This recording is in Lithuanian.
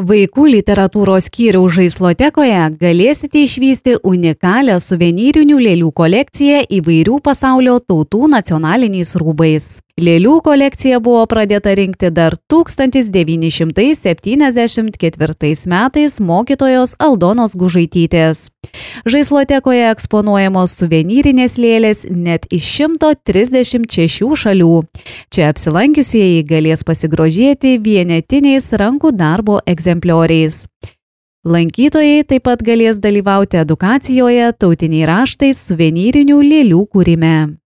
Vaikų literatūros skyriaus žaislotekoje galėsite išvysti unikalią suvenyrinių lėlių kolekciją įvairių pasaulio tautų nacionaliniais rūbais. Lėlių kolekcija buvo pradėta rinkti dar 1974 metais mokytojos Aldonos Gužaitytės. Žaislotekoje eksponuojamos suvenyrinės lėlės net iš 136 šalių. Čia apsilankiusieji galės pasigrožėti vienetiniais rankų darbo egzemplioriais. Lankytojai taip pat galės dalyvauti edukacijoje tautiniai raštai suvenyrinių lėlių kūrime.